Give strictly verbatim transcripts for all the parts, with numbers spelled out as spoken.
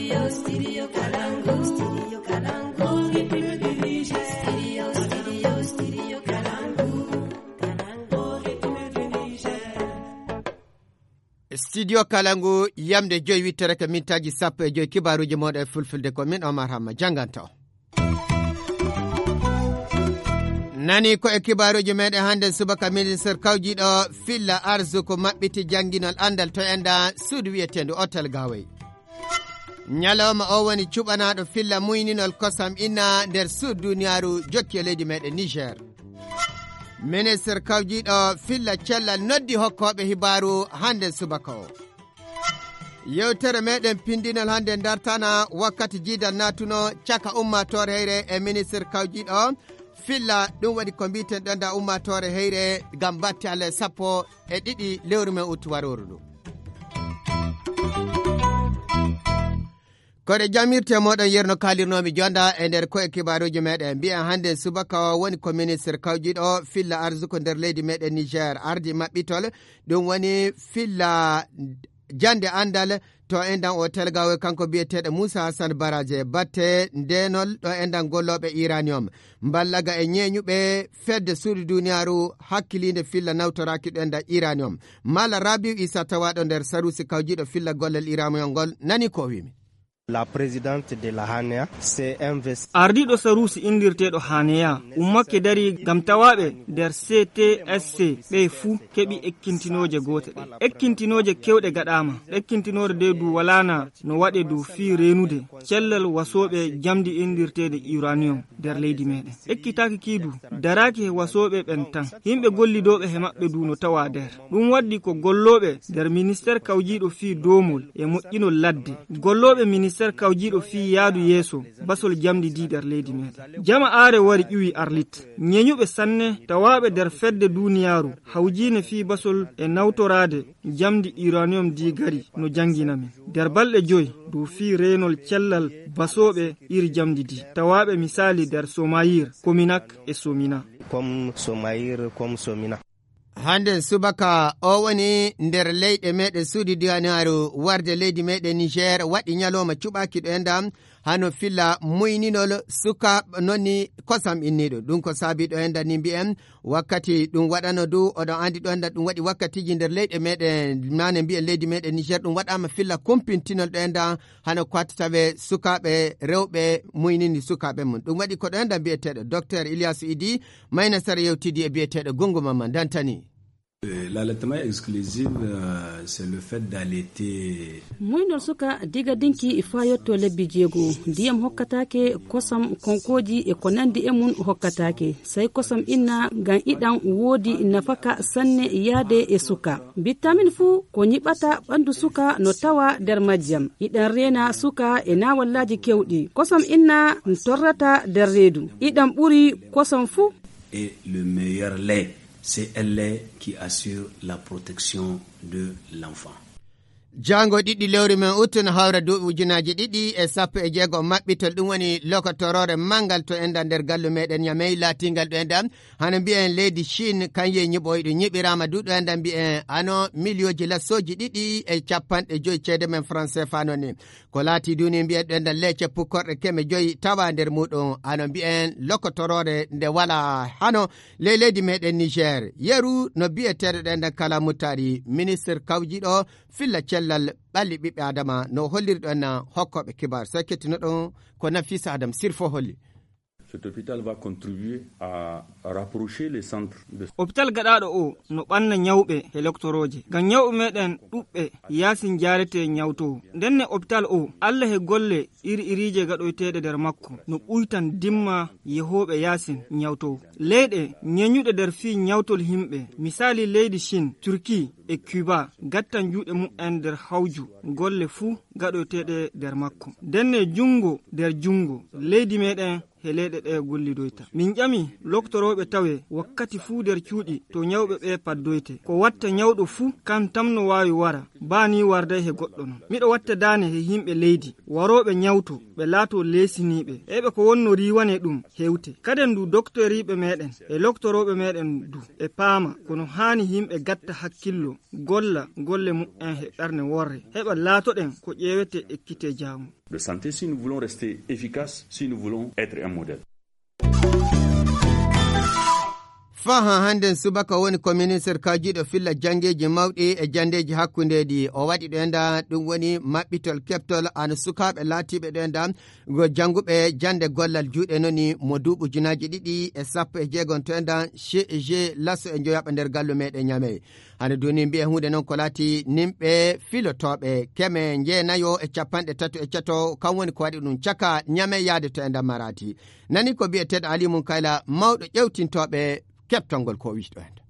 Studio Kalangu, yamde joyi wittere ko mintaaji sappo e joyi, kibaaruuji mooɗon e fulfulde, ko min Omar Hamma jannganto. Nani ko e kibaaruuji meɗen hannde subaka, ministre kawjiiɗo filla arsuku maɓɓiti jannginol anndal to enda suudu wiyeteendu Hotel Gawey. Ñalawma o woni cuɓanaaɗo filla muyninol kosam inna nder suudu duniyaaru jokki e leydi meɗen Niger. Ministre kawjiiɗo filla cellal noddi hokkooɓe hibaaru hannde subaka o. Yewtere meɗen pindinal hannde dartana wakkati jiidal naatuno caka ummaatoore heyre e ministre kawjiiɗo filla, ɗum waɗi ko mbiten ɗon da ummaatoore heyre ngam batte alle sappo e ɗiɗi lewru men uttu warooru ndu. Koɗe jamirte moɗon yerno kalirnomi jonda e nder koye kibaaruji meɗen. Mbiyen hannde subaka o woni ko ministre kawjiiɗo filla arsuku nder leydi meɗen Niger ardi maɓɓitol. Ɗum woni filla jande anndal to endan o telgawe kanko biyeteɗo Moussa Hassan Baraje batte ndenol ɗo endan golloɓe uranium. Mballaga e ñeeñuɓe fedde suudu duniyaaru hakkiliinde filla nawtoraaki ɗo endan uranium. Mala Rabiu Isa tawaɗo nder sarusi kawjiiɗo filla gollal uranium ngol nani ko wimi. La présidente de la hanea s'est investie. Ardiiɗo sarusi inndirteeɗo hanea ummake dari ngam tawaaɓe nder C T S C ɓe fuu keɓi ekkintinooje goote ɗe. Ekkintinooje kewɗe gaɗaama. Ekkintinore de du walaana no waɗe du fii reenude cellal wasooɓe jamdi inndirteede uranium nder leydi meɗen. Ekkitaaki kii du daraaki he wasooɓe ɓen tan. Yimɓe gollidooɓe he maɓɓe du no tawa nder. Ɗum waddi ko gollooɓe nder ministeer kawjiiɗo fii doomol e moƴƴinol ladde. Gollooɓe ministeer kawjiiɗo fii yaadu yeeso basol jamdi di nder leydi meɗen. Jama aare wari ƴuwi Arlit. Ñeñuɓe sanne tawaaɓe nder fedde duniyaaru hawjiine fii basol e nawtoraade jamdi uranium di gari no janngina min. Nder balɗe joy dow fii reenol cellal basooɓe iri jamdi di. Tawaaɓe misaali nder Somayir, Kominak e Somina. Comme Somayir, comme Somina. Hannde subaka o woni nder leyɗe meɗen suudi diwanaaru warde leydi meɗen Niger waɗi ñalawma cuɓaaki ɗo enɗam hano filla muyninol suka nonni kosam inniɗo. Ɗum ko saabi ɗo enɗam ni mbiyen wakkati ɗum waɗano du, oɗon andi ɗo enɗam ɗum waɗi wakkatiji nder leyɗe meɗen, mane mbiyen leydi meɗen Niger, ɗum waɗama filla kumpintinol ɗo enɗam hano ko watta tawe sukaaɓe rewɓe muynini sukaaɓe mum. Ɗum waɗi ko ɗo enɗam mbiyeteɗo Docteur Ilyasu Idi, mayna sara yewtidi e biyeteɗo Gungu Mamman Dantani. Euh, l'allaitement exclusif, euh, c'est le fait d'allaiter. Muynol suka diga dinki faa yotto lebbi jeego. Ndiyam hokkataake, kosam, konkooji e ko nandi e mum hokkataake. Sey kosam inna ngam iɗam woodi nafaka sanne yaade e suka. Bitamin fuu ko nyiɓata ɓandu suka no tawa nder majjam. Iɗam reena suka e naawallaaji kewɗi. Kosam inna n torrata nder reedu. Iɗam ɓuri kosam fuu. Et le meilleur lait, c'est un lait qui assure la protection de l'enfant. Jaango ɗiɗi lewru men uttu no hawra duuɓi ujunaaji ɗiɗi e sappo e jeego maɓɓitol, ɗum woni lokotoroore manngal to enɗam nder gallu meɗen Ñamey laatingal ɗo enɗam hano mbiyen leydi Chine, kan yehi ñiɓoyɗo ñiɓiraama du ɗo enɗam mbiyen hano miliyooji lassooji ɗiɗi e capanɗe joyi ceede men France fano ni. Ko laati duni mbiyen ɗo enɗam leece pukkorɗe keme joyi tawa nder muɗum hano mbiyen lokotoroore nde wala hano ley leydi meɗen Niger. Yeru no biyeteɗo ɗo enɗam Kala Muttari, ministre kawjiɗo filla cellal ɓalli ɓiɓɓe Adama no holliri ɗo enɗam hokkoɓe kibar. So kettino ɗon ko Nafisa Adam Sirfo holli. Cet hôpital va contribuer à rapprocher les centres de. Hôpital gaɗaaɗo o no ɓanna ñawɓe e loktorooje. Ngam ñawɓe meɗen ɗuɓɓe yaasin jaarete ñawtoo. Ndenne hôpital o, Allah e golle iri iriije gaɗoyteeɗe nder makko, no ɓuytan dimma yehooɓe yaasin ñawtoo. Leyɗe ñeñuɗe nder fii ñawtol yimɓe, misaali leydi Chine, Turquie e Cuba, gattan juuɗe mumen nder hawju golle fuu gaɗoyteeɗe nder makko. Ndenne junngo nder junngo, leydi meɗen he leyɗe ɗe gollidoyta. Min ƴami loktorooɓe tawe wakkati fuu nder cuuɗi to ñawɓe ɓe paddoyte. Ko watta ñawɗo fuu kan tan no waawi wara, baa ni warday he goɗɗo non. Miɗo watta daane he yimɓe leydi, warooɓe ñawto, ɓe laatoo leesiniiɓe. Eɓe ko wonno riiwane ɗum hewte. Kaden du doktoriiɓe meɗen e loktorooɓe meɗen du, ɓe paama kono haani yimɓe gatta hakkillo, golla golle mumen he ɓerne worre. Heɓa laatoɗen ko ƴeewete ekkite jaamu. De santé, si nous voulons rester efficaces, si nous voulons être un modèle. Faa haa hannden subaka woni ko ministir kawjiiɗo filla janngeeji mawɗi e janndeeji hakkundeeji. O waɗi ɗo enda ɗum woni maɓɓitol keɓtol an sukaaɓe laatiiɓe ɗo enda go jannguɓe jannde gollal juuɗe noni mo duuɓi ujunaaji ɗiɗi e sappo e jeegom to enda C G laso e njoyaɓa nder gallu meɗen Ñamey. Hano duni mbi'e huunde noon ko laati nimɓe filotooɓe keme njeenayo e capanɗe tato e cato, kam woni ko waɗi ɗum caka Ñamey yaade to enda Maradi. Nani ko bi'eteeɗo Ali Munkayla, mawɗo ƴewtintooɓe keɓtol ngol ko o wi'to enda.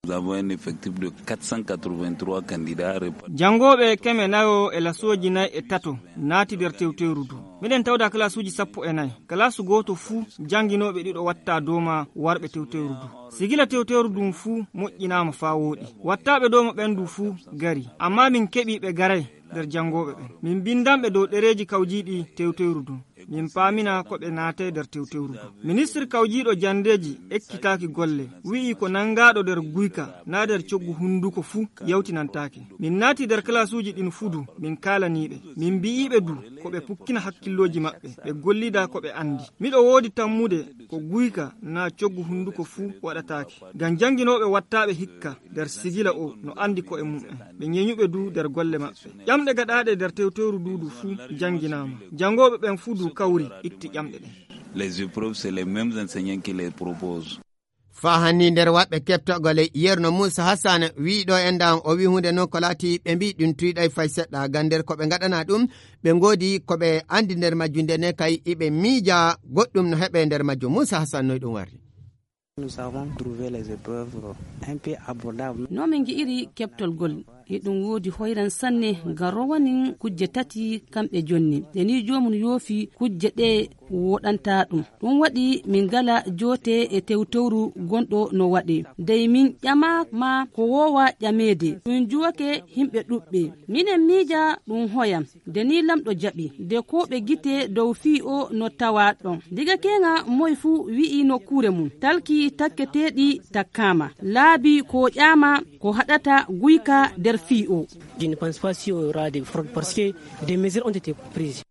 Nous avons un effectif de quatre cent quatre-vingt-trois candidats répartis. Janngooɓe keme nayo e lasooji nayi e tato naati nder tewtewru ndu. Miɗen tawda kalaasuuji sappo e nayi. Kalaasu gooto fuu jannginooɓe ɗiɗo watta dooma warɓe tewtewru ndu. Sigila tewtewru ndun fuu moƴƴinaama faa wooɗi. Wattaaɓe dooma ɓen du fuu gari. Ammaa min keɓii ɓe garay nder janngooɓe ɓen. Min mbindan ɓe dow ɗereeji kawjiiɗi tewtewru ndun. Min paamina ko ɓe naatay nder tewtewru ndu. Ministir kawjiiɗo janndeeji ekkitaaki golle, wi'i ko nanngaaɗo nder guyka naa nder coggu hunnduko fuu yawtinantaake. Min naati nder kalaasuuji ɗin fuu du, min kaalanii ɓe. Min mbi'ii ɓe du ko ɓe pukkina hakkillooji maɓɓe, ɓe gollida ko ɓe anndi. Miɗo woodi tammude ko guyka naa coggu hunnduko fuu waɗataake. Ngam jannginooɓe wattaaɓe hikka nder sigila o no anndi ko'e mum'en. Ɓe ñeñuɓe du nder golle maɓɓe. Ƴamɗe gaɗaaɗe nder tewtewru ndu du fuu jannginaama. Janngooɓe ɓen fuu du kawri itti ƴamɗe ɗen. Les épreuves, c'est les mêmes enseignants qui les proposent. Faa hanni nder waɗɓe keɓtogol e Yerno Muusa Hasan wi'i ɗo enda o wi'i huunde noon ko laati ɓe mbi'i ɗum tuyɗay fay seɗɗa ngam nder ko ɓe ngaɗana ɗum ɓe ngoodi ko ɓe anndi nder majjum nde ne kay iɓe miija goɗɗum no heɓe nder majjum. Muusa Hasan noy ɗum warri? Nous avons trouvé les épreuves un peu abordables. No min ngi'iri keɓtol ngol, eɗum woodi hoyran sanne ngam rowanin kujje tati kamɓe jonni. Nde ni joomum yoofi kujje ɗe woɗanta ɗum. Ɗum waɗi min ngala joote e tewtewru gonɗo no waɗe. Dey min ƴama ma ko woowa ƴameede. Ɗum juwake himɓe ɗuɓɓe. Minen miija ɗum hoyam. Nde ni lamɗo jaɓi, nde ko ɓe gite dow fii o no tawa ɗon. Diga keeŋa moy fuu wi'i nokkuure mum, talki takketeeɗi takkaama, laabi ko ƴaama ko haɗata guyka nder fii o. Je ne pense pas si on aura des fraudes parce que des mesures ont été prises.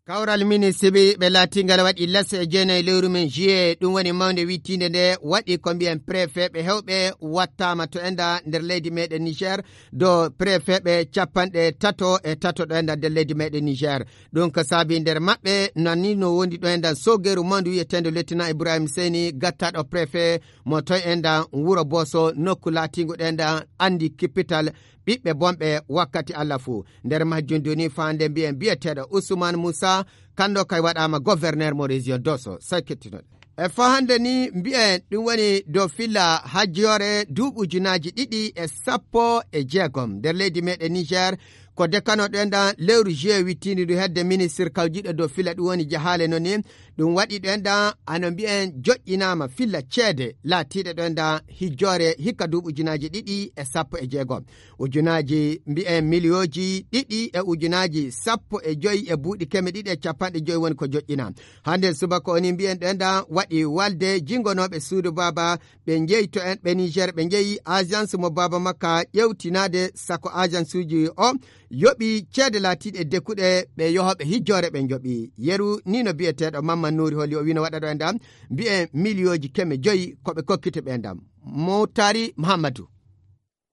Kawral ministre ɓe laatingal waɗi lesse e jeenayi lewru men juillet, ɗum woni mawnde wittiinde nde waɗi ko mbiyen préfet ɓe hewɓe wattaama to enda nder leydi meɗen Niger, do préfet ɓe capanɗe tato e tato ɗo enda nder leydi meɗen Niger. Ɗum ko saabi nder maɓɓe nani no wondi ɗo enda sogeru mawndu wiyeteendo lieutenant Ibrahim Seni gattaɗo préfet mo toy enda wuro Boso nokku laatingu ɗo enda andi kippital ɓiɓɓe bonɓe wakkati Allah fuu. Nder majjum duni faande mbiyen biyeteeɗo Ousmane Moussa, kanndo kay waɗaama gouverneur mo région Dosso. Sey kettinoɗen. E faa hannde ni mbiyen ɗum woni dow filla hajjoore duuɓi ujunaaji ɗiɗi e sappo e jeegom nder leydi meɗen Niger. Ko dekano ɗo enda lewru juillet wittiindi ndu hedde ministre kawjiiɗo dow filla ɗum woni jahaale no ni. Ɗum waɗi ɗo enda ano mbiyen joƴƴinaama filla ceede laatiiɗe ɗo enda hijjoore hikka duuɓi ujunaaji ɗiɗi e sappo e jeegom. Ujunaaji mbiyen miliyooji ɗiɗi e ujunaaji sappo e joy e buuɗi keme ɗiɗi e capanɗe joy woni ko joƴƴina. Hannde subaka o ni mbiyen ɗo enda waɗi walde jingonooɓe suudu baaba ɓe njeyi to en ɓe Niger ɓe njeyi agence mo baaba makka ƴewtinaade sako agence uji o yoɓi ceede laatiiɗe dekkuɗe ɓe yohooɓe hijjoore ɓe njoɓi. Yeru ni no biyeteeɗo Mamman Nuuri Holi o wino waɗa ɗo e ndam mbiyen miliyooji keme joyi ko ɓe kokkita ɓe ndam. Motari Muhammadu.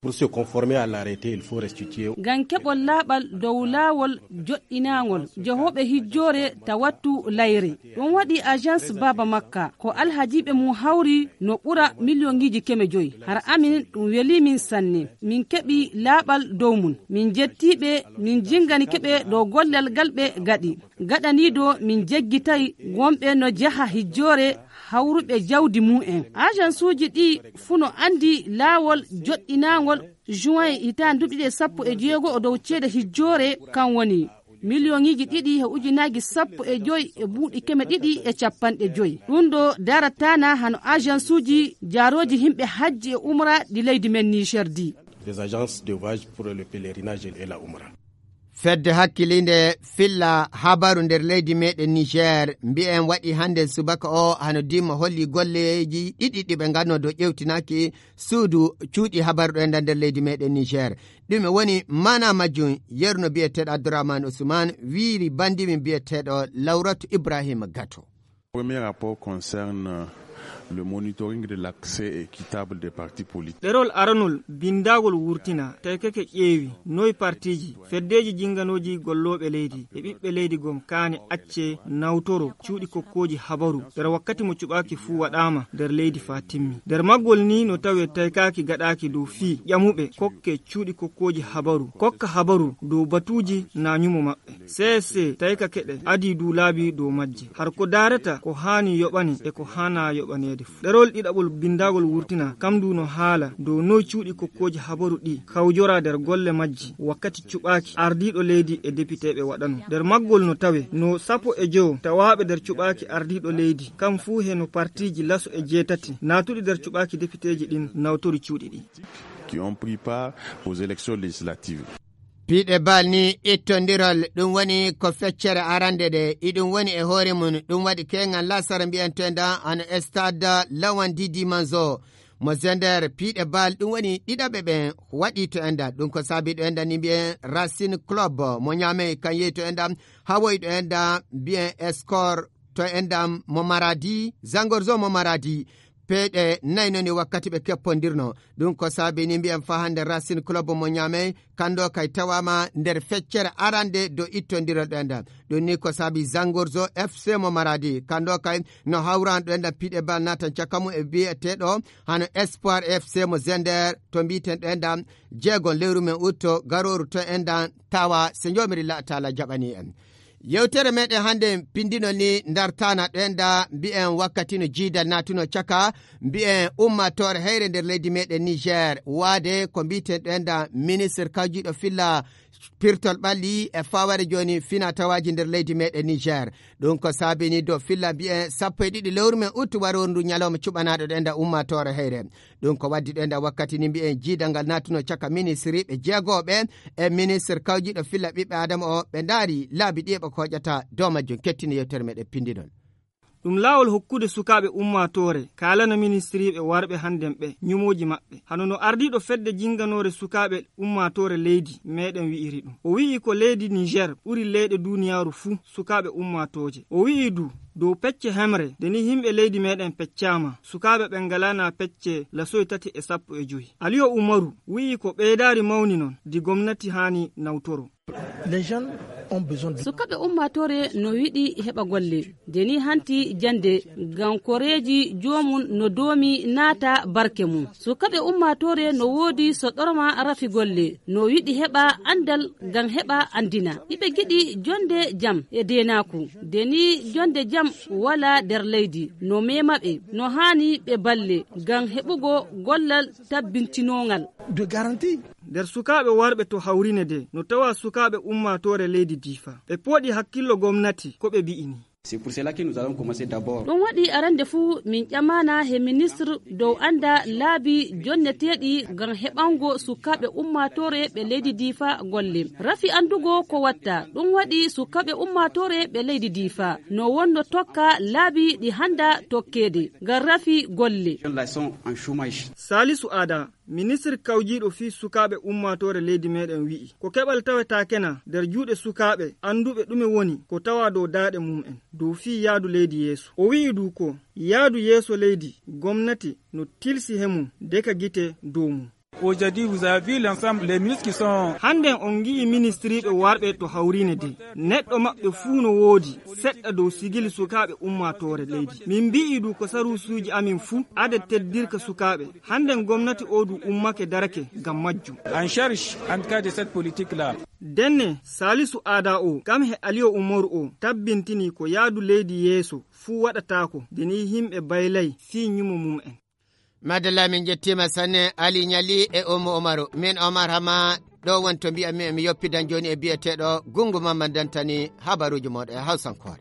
Pour se conformer à l'arrêté, il faut restituer. Ngam keɓol laaɓal dow laawol joɗɗinaangol jehooɓe hijjoore ta wattu layre. Ɗum waɗi agence Baaba Makka ko alhajiiɓe mum hawri no ɓura miliyoŋiiji keme joyi. Hara amin ɗum welii min sanne. Min keɓi laaɓal dow mum. Min njettii ɓe, min jinngani keɓe dow gollal ngal ɓe gaɗi. Gaɗaniiɗo min jeggitay wonɓe no jaha hijjoore hawruɓe jawdi mum en. Ajansuuji ɗi fuu no anndi laawol joɗɗinaangol juin hitaande duuɓi ɗiɗi e sappo e jeego o dow ceede hijjoore, kan woni miliyoŋiiji ɗiɗi e ujunaaji sappo e joy e buuɗi keme ɗiɗi e capanɗe joy. Ɗum ɗo darataana hano ajansuuji jaarooji yimɓe hajji e umra ɗi leydi men Niger di. Des agences de voyage pour le pèlerinage et la umra. Fedde hakkiliinde filla habaru nder leydi meɗen Niger, mbi'en waɗi hannde subaka o hano dimma holli golleeji ɗiɗi ɗi ɓe ngannoo dow ƴewtinaaki suudu cuuɗi habaru ɗo e nder leydi meɗen Niger. Ɗume woni maana majjum? Yerno biyeteeɗo Abdourahmane Ousmane wiiri banndi min biyeteeɗo Lawratu Ibrahima Gato. Premier rapport concerne le monitoring de l'accès équitable des partis politiques. Ɗerol aranol binndagol wurtina taykake ƴeewi noy partiiji, feddeeji jinnganooji gollooɓe leydi e ɓiɓɓe leydi gom kaani accee nawtoro cuuɗi kokkooji habaru nder wakkati mo cuɓaaki fuu waɗaama nder leydi faa timmi. Nder maggol ni no tawee taykaaki gaɗaaki dow fii ƴamuɓe kokke cuuɗi kokkooji habaru, kokka habaru dow batuuji na ñumo maɓɓe. C S C tawi ka keɗe adii duulaabi dow majje. Har ko daarata ko haani yoɓane e ko haanaa yoɓaneede fuu. Ɗerol ɗiɗaɓol binndagol wurtina, kam ndu no haala dow noy cuuɗi kokkooji habaru ɗi kawjora nder golle majji wakkati cuɓaaki ardiiɗo leydi e depiteeɓe waɗanoo. Nder maggol no tawe no sappo e jowo tawaaɓe nder cuɓaaki ardiiɗo leydi, kam fuu he no partiiji laso e jeetati naatuɗi nder cuɓaaki depiteeji ɗin nawtori cuuɗi ɗi. Qui ont pris part aux élections législatives. Piiɗe bal ni ittondiral, ɗum woni ko feccere arande nde, iɗum woni e hoore mum, ɗum waɗi keeŋal lasara mbiyanto enɗan hano stade Lawan Didi Manzo. Mo Zender piiɗe bal, ɗum woni ɗiɗaɓe ɓen waɗi to enɗan. Ɗum ko saabi ɗo enɗan ni mbiyen Racine Club mo Niamey, kan yehi to enɗan, hawoyi ɗo enɗan mbiyen Score to enɗan mo Maradi, Zangorzo mo Maradi. Peeɗe nayi non e wakkati ɓe keppondirno. Ɗum ko saabi ni mbiyen fa hannde Racine Club mo Niamey, kando kay tawaama nder feccere arande do ittondiral ɗo enɗan. Ɗum ni ko saabi Zangorzo F C mo Maradi, kando kay no hawran ɗo enɗan piiɗe bal natan caka mum e biyeteeɗo hano Espoir F C mo Zender to mbiten ɗo enɗan jeegon lewru men utto garooru to enɗan tawa se Joomirilla Taala jaɓani en. Yewtere meɗen hannde pindinol ni dartana ɗo enɗan mbiyen wakkati no jiidal natuno caka mbiyen ummatore heyre nder leydi meɗen Niger, waade ko mbiten ɗo enɗan ministre kawjiɗo filla pirtol ɓalli e faware jooni fina tawaaji nder leydi meɗen Niger. Ɗum ko saabini dow filla mbiyen sappo e ɗiɗi lewru men uttu waroru ndu ñalawma cuɓanaɗo ɗo enɗan ummatore heyre. Ɗum ko waddi ɗo enɗan wakkati ni mbiyen jiidal ngal natuno caka ministriɓe jeegoɓe e ministre kawjiɗo filla ɓiɓɓe Adama o, ɓe ndaari laabi ɗi e ɓe koƴata dow majjum. Kettini yewtere meɗen pindinol. Ɗum laawol hokkude sukaaɓe ummaatoore kaalana ministiriiɓe warɓe hannden ɓe ñumooji maɓɓe. Hano no ardiiɗo fedde jinnganoore sukaaɓe ummaatoore leydi meeɗen wi'iri ɗum. O wi'i ko leydi Niger ɓuri leyɗe duuniyaaru fuu sukaaɓe ummaatooje. O wi'i du dow pecce hemre, nde ni yimɓe leydi meeɗen peccaama, sukaaɓe ɓen ngalaana pecce lasoy tati e sappo e jowi. Aliyo Umaru wi'i ko ɓeydaari mawni non, di gomnati haani nawtoro. Les jeunes ont besoin de... Sukaɓe ummatore no yiɗi heɓa golle. Deni hanti jande, ngam koreeji joomum no doomi naata barke mum. Sukaɓe ummatore no woodi so ɗorma rafi golle, no yiɗi heɓa andal ngam heɓa andina. Iɓe giɗi jonde jam e deenaaku. Deni jonde jam wala nder leydi, no mema ɓe, no haani ɓe balle ngam heɓugo gollal tabbintinongal. De garantie. Nder sukaaɓe warɓe to hawrine de, no tawa sukaaɓe ummaatoore leydi Diifa. Ɓe pooɗi hakkillo gomnati ko ɓe bi'ini. C'est pour cela que nous allons commencer d'abord. Ɗum waɗi arande fuu min ƴamana he ministre dow anda laabi jonneteeɗi ngam heɓango sukaaɓe ummaatoore ɓe leydi Diifa golle. Rafi andugo ko watta, ɗum waɗi sukaaɓe ummaatoore ɓe leydi Diifa no wonno tokka laabi ɗi handa tokkeede ngam rafi golle. Jeunes là sont en chômage. Salisu Ada, ministre kawjiiɗo fii sukaaɓe ummaatoore leydi meeɗen wi'i, ko keɓal tawetaake na nder juuɗe sukaaɓe annduɓe ɗume woni ko tawa dow daaɗe mum'en dow fii yaadu leydi yeeso. O wi'i du ko yaadu yeeso leydi, gomnati no tilsi he mum deka gite dow mum. Aujourd'hui, vous avez vu l'ensemble des ministres qui sont... Hannden on ngi'i ministiriiɓe warɓe to hawriine de. Neɗɗo maɓɓe fuu no woodi seɗɗa dow sigili sukaaɓe ummaatoore leydi. Min mbi'i du ko saruusuuji amin fuu adet teddirka sukaaɓe. Hannden gomnati oo du ummake darake ngam majjum. En charge, en tout cas, de cette politique-là. Denne, Salisu Aada oo, kam he Aliyo Umaru oo, tabbintini ko yaadu leydi yeeso fuu waɗataako, de ni yimɓe baylay fii ñumo mum'en. Madalla, min njettiima sanne, Ali Ñali e Ummu Umaru. Min Omar Hama, ɗo woni to mbi'anmi emi yoppidan jooni e biyeteeɗo Gungu Mamman Dantani, habaruuji mooɗon e Hawsankoore.